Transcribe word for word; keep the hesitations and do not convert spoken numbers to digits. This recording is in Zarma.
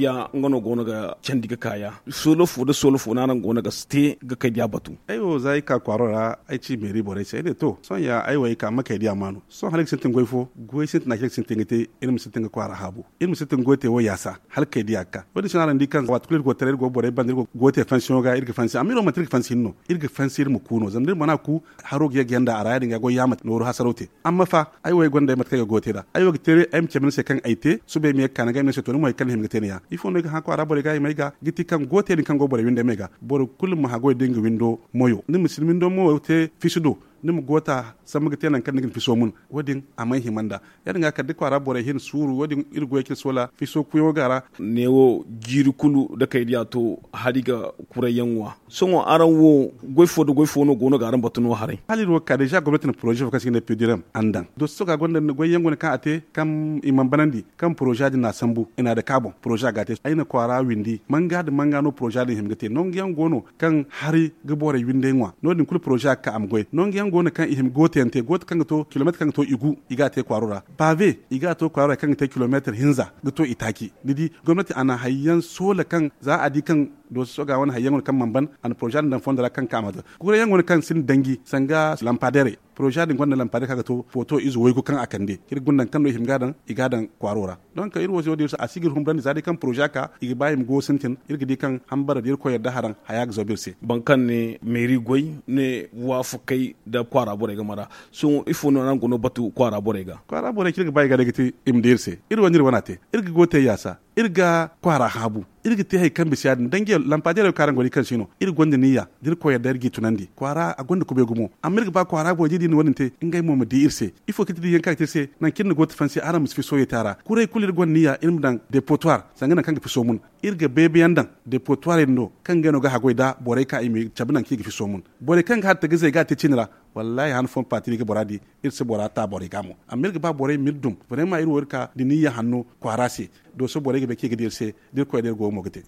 Ya nga no go no ga candi ga ka ya. Soolo fo nda soolo fo no araŋ go no ga te ga kay diya batu. Ay wo za ay ka kwaaro ra, ay ci meeri borey se ay ne to sohõ ya ay wo ay ka ma kay diya maanu. Sohõ hala ay ga sintin goy fo, goy sintina kaŋ ay ga sintin ga te. Iri ma sintin ga kwaara haabu, iri ma sintin ga goy te wo yaasa hala kay diya ga ka. Wo- din se no araŋ di kaŋ waati kulu iri go ga taray iri go ga borey banda iri go ga goy te fansiyoŋo ga iri ga fansi amma iri wo manti iri ga fansi hinne no iri ga fansi iri ma ku no zama da iri mana ku, haro ga ye ga yanda a ra ya- din ga goy yaamate nooru hasaraw te. Amma fa, ay wo ay gonda ay mate kaŋ ay ga goy te nd'a. Ay wo ga te ay ma cabe ni se kaŋ ay te suba ay ma ye ga ka ni ga ay ma ne ay se to ni mo hari kaŋ ni hima ga te ni ya ifo no ay ga hã kwaara borey ga ay ma ay ga ga ti kaŋ goy te din kaŋ go borey windo ay ma ay ga. Boro kulu ma haggoy da nga windo moyo ni ma si ni windo moyo te fisu do, ni ma goota sambu ga te nangu kaŋ ni ga ni fiso mun. Wo- din a mana hima nd'a. Ya- din ga kala da kwaara borey hin suuru wo- din iri goyey kaŋ iri soola fiso kuyaŋo ga a ra. Neewo jiiri kulu da kay diya to, hari ga kuray yaŋ ŋwa. Sohõ araŋ wo, goy fo nda goy fo no go no ga araŋ batu no haray? Hala iri wo ga ka deeza gomnati na poroze fo kaŋ se i ga ne pidiram a na daŋ doso ga gonda goy yaŋ go no kaŋ a te kaŋ i mana banandi, kaŋ poroza din no a sambu i na a dake a boŋ poroza ga a te ay na kwaara windi manga nda manga no poroza din hima ga te nangu yaŋ go no kaŋ hari ga borey windey ŋwa no- din kulu poroza ga ka a ma goy nangu yaŋ go no kaŋ i hima gooto yaŋ te gooto kaŋ ga to kilomeetar kaŋ ga to i gu i ga a te kwaaro ra. Paabe i ga a to kwaaro ra kaŋ ga te kilomeetar hinza ga to i taaci. Ni di gomnati a na hari yaŋ soola kaŋ za a di kaŋ dooso soga wane hari yaŋ wane kaŋ mana ban a na poroza din daŋ fondo ra kaŋ ga ka a ma te. Kuray yaŋ wane kaŋ sinda danji sanga lampadeerey poroza din gonda lampadeer kaŋ a ga to footo ize waygu kaŋ a kande kaŋ iri ga guna daŋ kaŋ no i hima ga a daŋ i ga a daŋ kwaaro ra. Donk iri wo se wo- din iri se a si ga iri humbandi za day kaŋ poroza ka i ga ba i ma go sintin iri ga di kaŋ hambara da irkoy yadda haraŋ haya ga zabu iri se. Boro kaŋ ne meeri goy ne waafakey nda kwaara borey game ra. Sohõ ifo no araŋ go no batu kwaara borey ga? Kwaara borey kaŋ iri ga ba i ga day ga te i ma di iri se iri wane iri wane a te. Iri ga go te yaasa iri ga kwaara haabu. Iri ga te hari kaŋ bisa ya- din danji lampadeerey wo kaŋ araŋ go ga di kaŋ si no iri gonda niyya da irkoy yadda iri g'i tunandi kwaara a gonda kubay gumo. Amma iri ga ba kwaara borey da i di ni wo- din te ngey mo ma di iri se. Ifo kaŋ ti di yaŋ kaŋ ga te iri se nangu kaŋ iri na go ga tafansi araŋ ma si fiso ye te a ra kuray kulu iri gonda niyya iri ma daŋ depotoir sanga nangu kaŋ ga fiso mun. Iri ga beebeyaŋ daŋ depotoirey din do kaŋ ngey no ga haggoy nda borey ka i ma cabe nangu kaŋ i ga fiso mun. Borey kaŋ ga har tagazey ga a te cine ra wallaahi han fooyaŋ paati no i ga bora di. Iri si bora ta borey ga mo amma iri ga ba borey ma iri dum. Barema iri wo iri ka da niyya hanno kwaara se. Dooso borey ga bay kaŋ i ga di iri se da irkoy da iri go ga mo ga te.